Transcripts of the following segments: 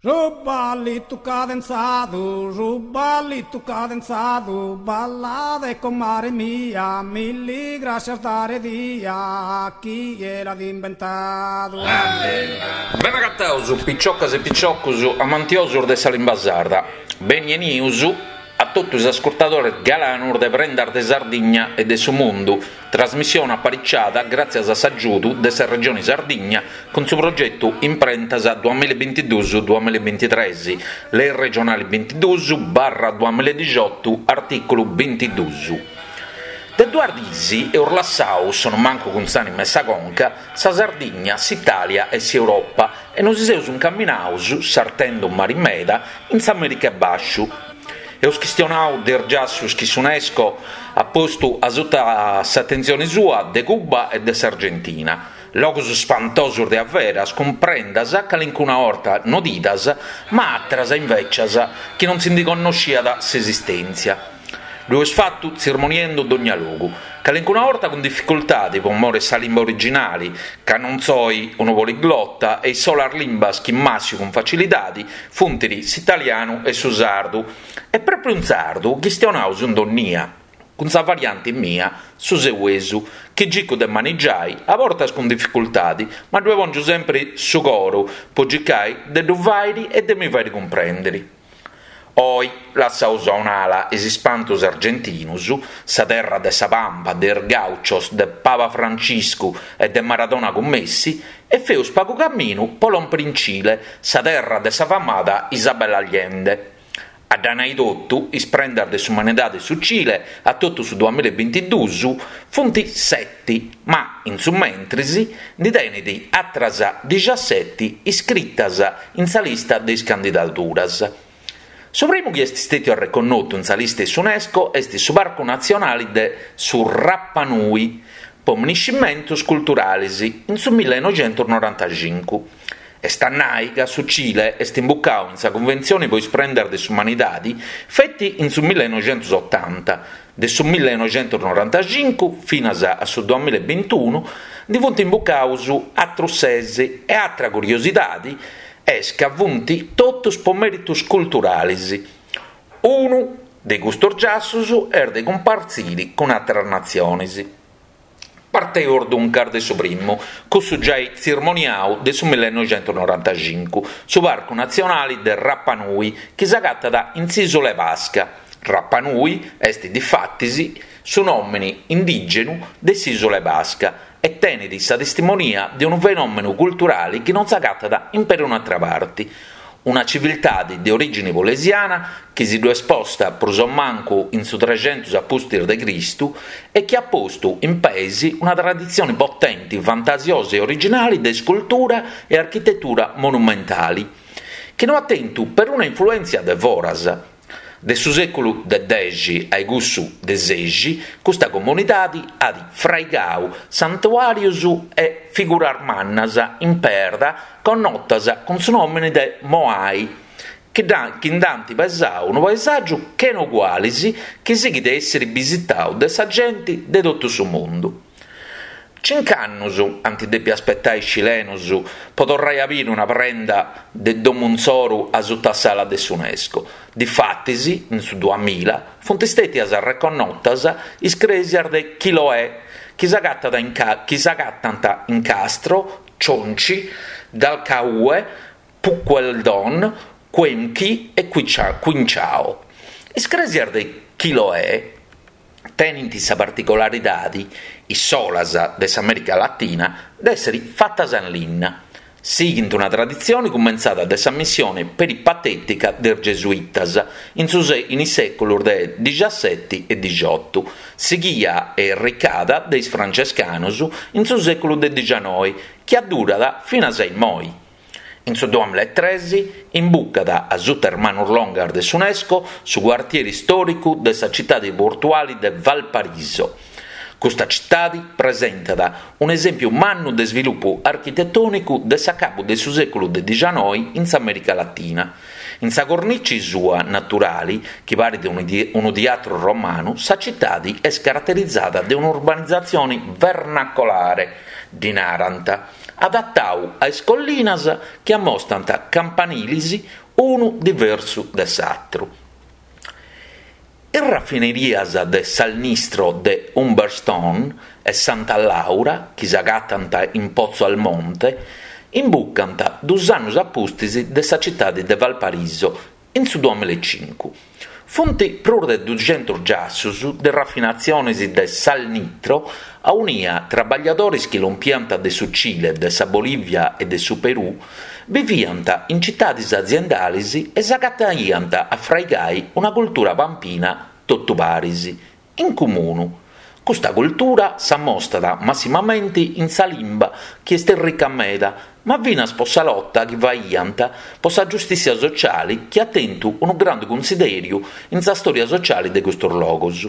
Su ballitu cadenzadu, su ballitu cadenzadu, ballade comare mia, milli grascias dare dia, chie l'at imbentadu. Bene agataus piciocas e piciocus amantiosus de sa limba sarda, beni 'enius a totu is ascurtadores galanus de Prendas de Sardigna e de su Mundu, trasmissione apariciada gràtzias a s'agiudu de sa Regioni Sardigna cun su progetu Imprentas duamillabintiduus duamillabintitres, Lei regionali bintiduus barra duamilladixotu artìculu bintiduus. De duas diis eus lassau, sonumancu cun s'ànima e sa conca, sa Sardigna, s'Itàlia e s'Europa e nosi seus incaminaus, sartendu mari meda, in s'America 'e Bàsciu. Eus chistionau de is giassus chi s'Unesco at postu asuta s'atentzioni sua de Cuba e de s'Argentina, logus spantosus de averas cun prendas calincuna 'orta nodidas ma àteras invècias chi non si ndi connosciat s'esistèntzia. Ddu eus fatu tzirmoniendu dogna logu, calincuna 'orta cun dificultadi po mori 'e sa limba originali, ca non soi unu poliglota e is solas limbas chi màssiu cun facilidadi funt s'italianu e su sardu, e pròpriu in sardu chistionaus in donnia, cun sa varianti mia, su seuesu, chi circu de manigiai, a bortas cun dificultadi, ma ddue pòngiu sempri su coru po circai de ddu fàiri e de mi fàiri cumprèndiri. Oi lassaus a un'ala is ispantus argentinus, sa terra de sa pampa, de is gauchos, de Paba Franciscu e de Maradona cun Messi, e feus pagu caminu po lòmpiri in Cile, sa terra de sa famada Isabel Allende. A dda nai totu, is prendas de s'umanidade de su Cile a totu su duamillabintiduus funt seti, ma in su mentris ndi tenit atras dixaseti iscritas in sa lista de is candidaduras. Su primu chi est stètiu arreconnotu in sa lista 'e s'Unesco est su Parcu Natzionali de su Rapa Nui po miniscimentus culturalis in su millenoixentusnorantacincu. Est a nai ca su Cile est imbucau in sa Cunventzioni po is prendas de s'umanidadi feti in su millenoixentusotanta, De su millenoixentusnorantacincu finas a su duamillabintunu ndi funt imbucaus atrus ses e atra curiosidadi est ca funt totus po meritus culturalis. Unu de custus giassus est de cumpartziri cun atras natzionis. Parteus duncas de su primu, cussu giai tzirmoniau de su millenoixentusnorantacincu, su Parcu Natzionali de Rapa Nui chi s'agatat in s'Ìsula 'e Pasca. Rapa Nui est difatis su nòmini indìgenu de s'Ìsula 'e Pasca e tenit sa testimonia de unu fenòmenu culturali chi non s'agatat in perun'atra parti, Una civiltadi de orìgini polesiana chi si ddu est posta prus o mancu in su trexentus a pustis de Cristu e chi at postu in peis una traditzioni potenti, fantasiosa e originali de iscultura e architetura monumentali, chi no at tentu peruna influèntzia de foras. De su sèculu de dexi ai cussu de sexi, custa comunidadi at fraigau santuàrius e figuras mannas in perda connotas cun su nòmini de Moai, chi nd'ant pesau unu paesàgiu chena ugualis chi sighit a èssiri bisitau de sa genti de totu su mundu. Cinc'annus ant dèpiu aspetai is cilenus po torrai a biri una prenda de domu insoru asuta a s'ala de s'Unesco. Difatis, in su duamilla, funt stètias arreconnotas is crèsias de Chiloé, chi s'agatant in Castro, Chonchi, Dalcahue, Puqueldón, Quemchi e Quinchao. Is crèsias de Chiloé tenint sa particolaridadi, is solas de s'Amèrica Latina, de èssiri fatas in linna. Sighint una traditzioni cumentzada de sa missione peripatètica de is gesuitas in su in is sèculus de dixaseti e dixiotu, sighia e erricada de is francescanus in su sèculu de dixanoi, chi addurat finas a immoi. In su duamillaetres imbucat a suta is manus longas de s'Unesco su cuartieri istòricu de sa citadi portuali de Valparaíso. Custa citadi presentat un'esèmpiu mannu de svilupu architetònicu de s'acabu de su sèculu de dixanoi in s'Amèrica Latina. In sa cornici sua naturali, chi parit unu tiatru romanu, sa citadi est caraterizada de un'urbanizatzione vernacolare, ddi narant. adatau a is collinas chi ammostant campanilis unu diversu de s'atru. Is rafinerias de Salnistro de Humberstone e Santa Laura, chi s'agatant in Pozo Almonte, imbucant dus annus a pustis de sa citadi de Valparaíso in su duamillaecincu. Funt prus de duxentus giassus de rafinatzionis de salnitro aunia trabagliadoris chi lompiant de su Cile, de sa Bolivia e de su Perù biviant in citadis aziendalis e s'agataiant a fraigai una cultura pampina totu paris, in cumunu. Custa cultura s'ammostat massimamenti in sa limba chi est rica meda, ma finas po sa lota chi faiant po sa giustissia sociali chi at tentu unu grandu cunsidèriu in sa stòria sociali de custus logus.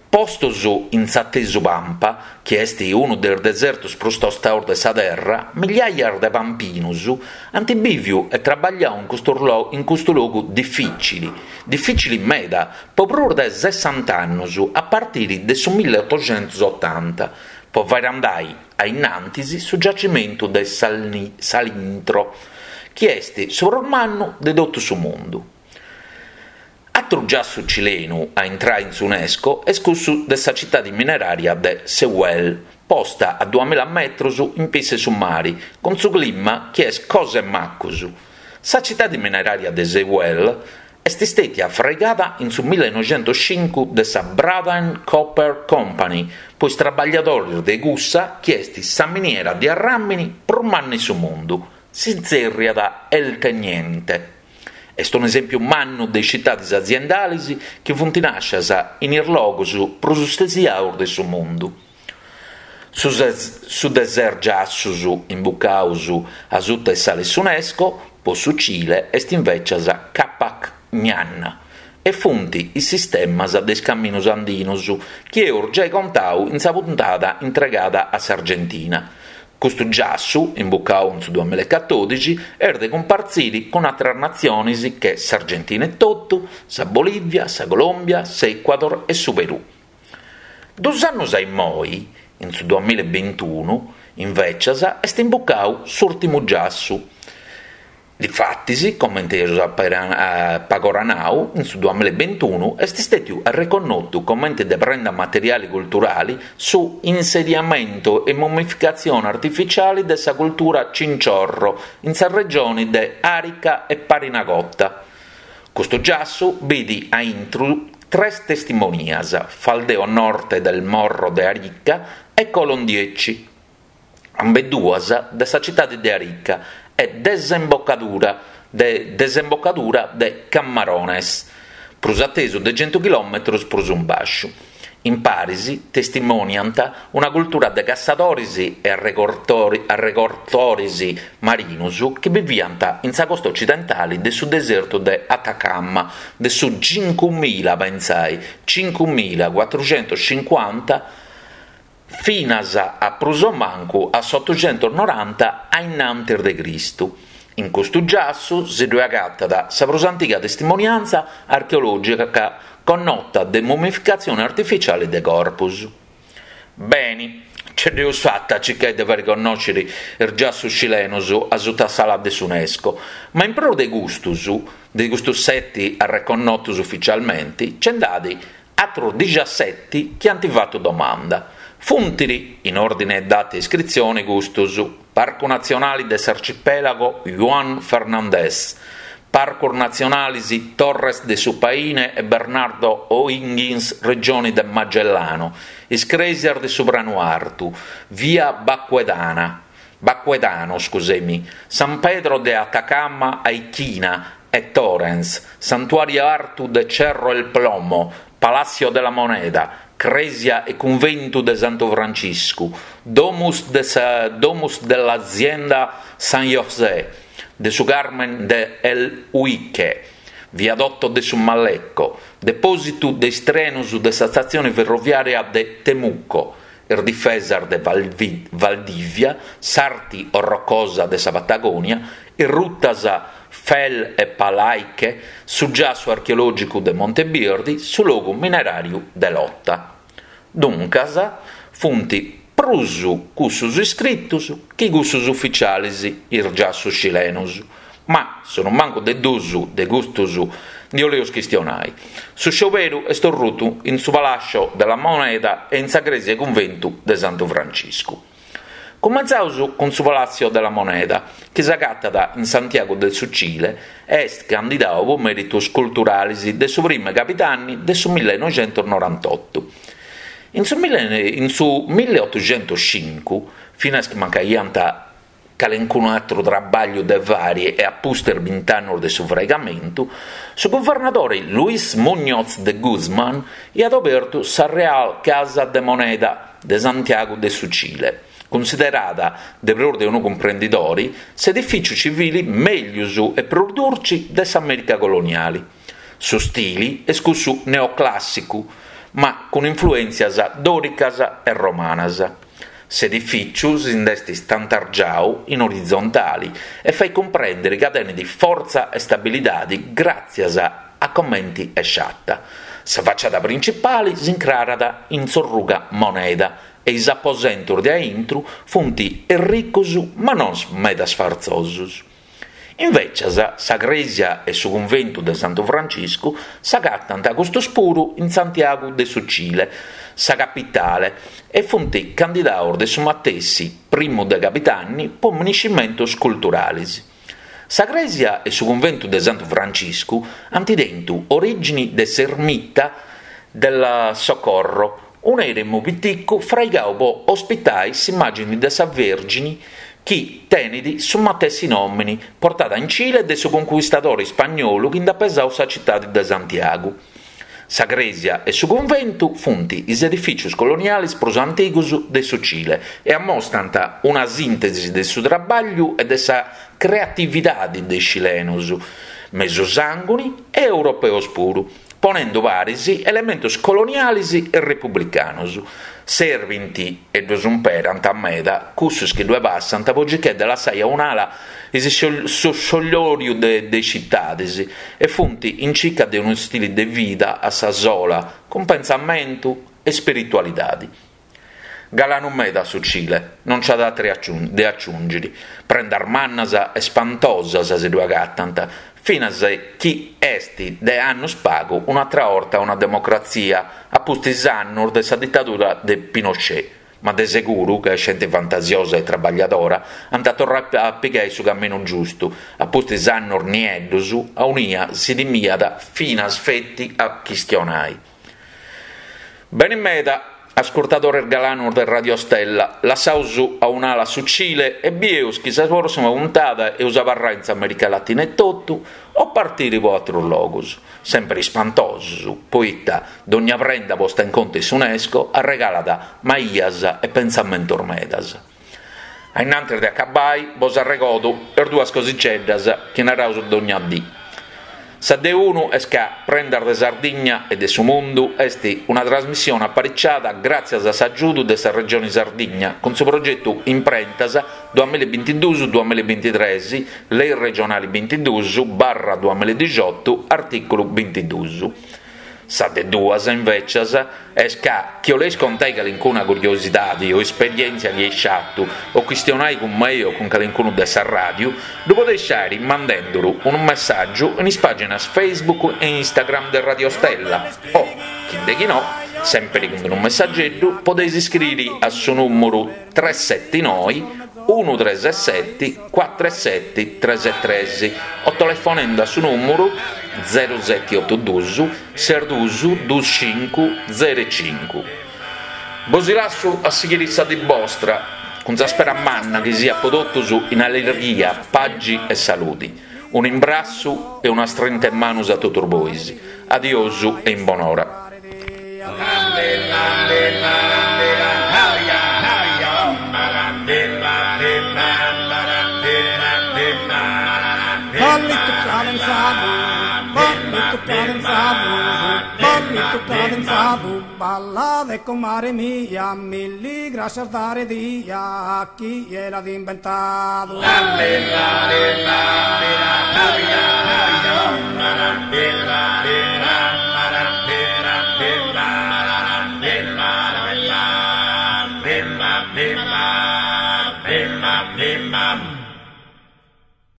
Postos in s'atesu Pampa, chi est unu de is desertus prus tostaus de sa terra, migliaias de pampinus ant bìviu e trabagliau in custu in custu logu difìcili, difìcili meda, po prus de sessant'annus a partiri de su milleotoxentusotanta, po fàiri andai a innantis su giacimentu de Salintro, chi est su prus mannu de totu su mundu. Atru giassu cilenu a intrai in s'Unesco est cussu de sa citadi mineraria de Sehuel, posta a duamilla metrus in pissu 'e su mari, cun su clima chi est cosa 'e macus. Sa citadi mineraria de Sehuel est stètia fraigada in su millenoixentuscincu de sa Braden Copper Company po is trabagliadoris de cussa chi est sa miniera de arràmini prus manna in su mundu, si tzèrriat El Teniente. Est un'esèmpiu mannu de is citadis aziendalis chi funt nàscias in is logus prus stesiaus de su mundu. Su su de ses giassus imbucaus asuta 'e s'ala 'e s'Unesco po su Cile est invècias Qhapaq Ñan e funt is sistemas de is caminus andinus chi eus giai contau in sa puntada intregada a s'Argentina. Custu giassu, imbucau in su duamillaecatòdixi, est de cumpartziri cun àteras natzionis che s'Argentina etotu, sa Bolìvia, sa Colòmbia, s'Ecuador e su Perù. Dus annus a immoi, in su duamillaebintunu, invècias, est imbucau s'ùrtimu giassu. Difatis, comente eus pagora nau, in su duamillaebintunu est stètiu arreconnotu comente de prenda materiali culturali su insediamento e mummificatzione artificiali de sa cultura Chinchorro in sa regioni de Arica e Parinacota. Custu giassu bit a intru tres testimonias, Faldeo Norte del Morro de Arica e Colon Dieci. ambeduas de sa citade de Arica e desembocadura de desembocadura de Camarones, prus atesu de centu chilòmetros prus in bàsciu. In paris testimòniant una cultura de cassadores e arregortores marinos chi biviant in sa costa ocidentale de su desertu de Atacama de su cincumila, pentzai, cincumila cuatruxentuscincuanta finas a prus o mancu a s'otoxentusnoranta a innantis de Cristu. In custu giassu si ddue agatat sa prus antiga testimoniantza archeològica connota de mummificatzione artificiale de corpus. Beni, ce dd'eus fata a circai de fari connòsciri is giassus cilenus asuta s'ala de s'UNESCO, ma in prus de custus, de custus seti arreconnotus uficialmenti, nce nd'at Atrus dixaseti chi ant fatu domanda. Funt, in òrdine 'e data 'e iscritzione, custus, Parcu Natzionali de s'Arcipèlago Juan Fernández, Parcus Natzionalis Torres de su Paine e Bernardo O'Higgins Regioni de Magellano, Is Crèsias de su Pranu Artu, Via Baquedana, Baquedano, scusemi, San Pedro de Atacama Ayquina e Torrens, Santuàriu Artu de Cerro El Plomo, Palacio de la Moneda, Crèsia e Cunventu de Santu Franciscu, Domus de sa Domus de l'Azienda San José, de su Carmen de El Huique, Viadotto de su Malleco, Depòsitu de is trenus de sa statzione ferroviària de Temuco, is difesas de Valdivia, s'arti orrocosa de sa Patagonia, is rutas Fel e Palaiche, su giassu archeològicu de Monte Birdi, su logu mineràriu de Lota. Duncas, funt. Prus cussus iscritus chi cussus uficialis, is giassus cilenus. Ma, sonumancu de dus de custus ndi 'oleus chistionai. Su scioberu est orrutu in su Palacio de la Moneda e in sa crèsia e cunventu de Santu Franciscu. Cumentzaus cun su Palacio de la Moneda, chi s'agatat in Santiago de su Cile e est candidau po meritus culturalis de su primu 'e cabidanni de su millenoixentusnorantotu. In su in su milliotuxentuscincu, finas chi mancaiant calencunu atru trabagliu de fari e a pustis bint'annus de su fraigamentu, su guvernadori Luis Muñoz de Guzmán iat obertu sa Real Casa de Moneda de Santiago de su Cile, cunsiderada de prus de unu cumprendidori s'edifìciu civili meglius e prus durci de s'Amèrica coloniali. Su stili est cussu neoclàssicu, ma cun influèntzias dòricas e romanas. S'edifìciu si nd'est stantargiau in orizontali e fait cumprèndiri ca tenit fortza e stabilidadi gràtzias a comenti est sciata. Sa faciada principali s'incrarat in s'orruga Moneda e is aposentus de aintru funt erricus ma non meda sfartzosus. Invècias sa crèsia e su cunventu de Santu Franciscu s'agatant custus puru in Santiagu de su Cile, sa capitale, e funt candidaus de su matessi primu de cabidanni po miniscimentus culturalis. Sa crèsia e su cunventu de Santu Franciscu ant tentu orìgini de s'ermita del Socorro, un'èremu piticu fraigau po ospitai s'imàgini de sa Vèrgini chi tenit su matessi nòmini, portada in Cile de su concuistadori ispagnolu chi nd'at pesau sa citadi de Santiagu. Sa crèsia e su cunventu funt is edifìcius colonialis prus antigus de su Cile e ammostant una sìntesi de su trabàgliu e de sa creatividadi de is cilenus, mesusànguni e europeus puru. ponendu paris elementos coloniales e republicanos, serbint e ddos umperant meda cussos chi ddue passant po circai de lassai a un'ala is su sciollòriu de is citades e funt in circa de unu stili de vida a sa sola, cun pentzamentu e spiritualidadi. Galanu meda su Cile, non nc'at àteru de aciùngiri. Prendas mannas e spantosas si ddu agatant, finas chi est de annus pagu un'atra 'orta una democratzia, a pustis annus de sa ditadura de Pinochet, ma de seguru ca est genti fantasiosa e trabagliadora, ant a torrai a pigai su caminu giustu, a pustis annus nieddus aunia si timiat finas feti a chistionai. Beni meda, ascurtadores galanos de Radio Stella, lassaus a un'ala su Cile e bieus chi sa prossima puntada eus abarrai in s'America Latina etotu o partiri po atrus logus, sempri ispantosus, poita dogna prenda posta in contu 'e s'Unesco arregalat maias e pentzamentos medas. A innantis de acabbai bos arregodu is duas cosixeddas chi naraus dogna dì. Sa de unu est ca Prendas de Sardigna e de su Mundu est una trasmissione apariciada gràtzias a s'agiudu de sa Regioni Sardigna cun su progetu Imprentas duamillabintiduus duamillabintitres, Lei regionali bintiduus barra duamilladixotu, artìculu bintiduus. Sa de duas, invècias, est ca chi 'oleis contai calincuna curiosidadi o esperièntzia chi eis sciatu o chistionai cun mei o cun calincunu de sa ràdiu, ddu podeis sciari mandenduru unu messàgiu in is pàginas Facebook e Instagram de Radio Stella o, chi de chi no, sèmpiri cun unu messageddu, podeis iscriri a su nùmuru tres seti noi unu tres seti cuatru seti tres tres o telefonendu a su nùmuru zeru seti otu dus ses dus dus cincu zeru cincu. Bosi lassu a sighiri sa dì bostra cun sa spera manna chi siat po totus in allirghia, pagi e saludi. Unu imbrassu e una strinta 'e manus a totus bois. Adiosu e in bonora. Ballitu cadenzadu, ballitu cadenzadu, ballitu cadenzadu, ballade comare mia, milli grascias dare dia a chie l'at imbentadu.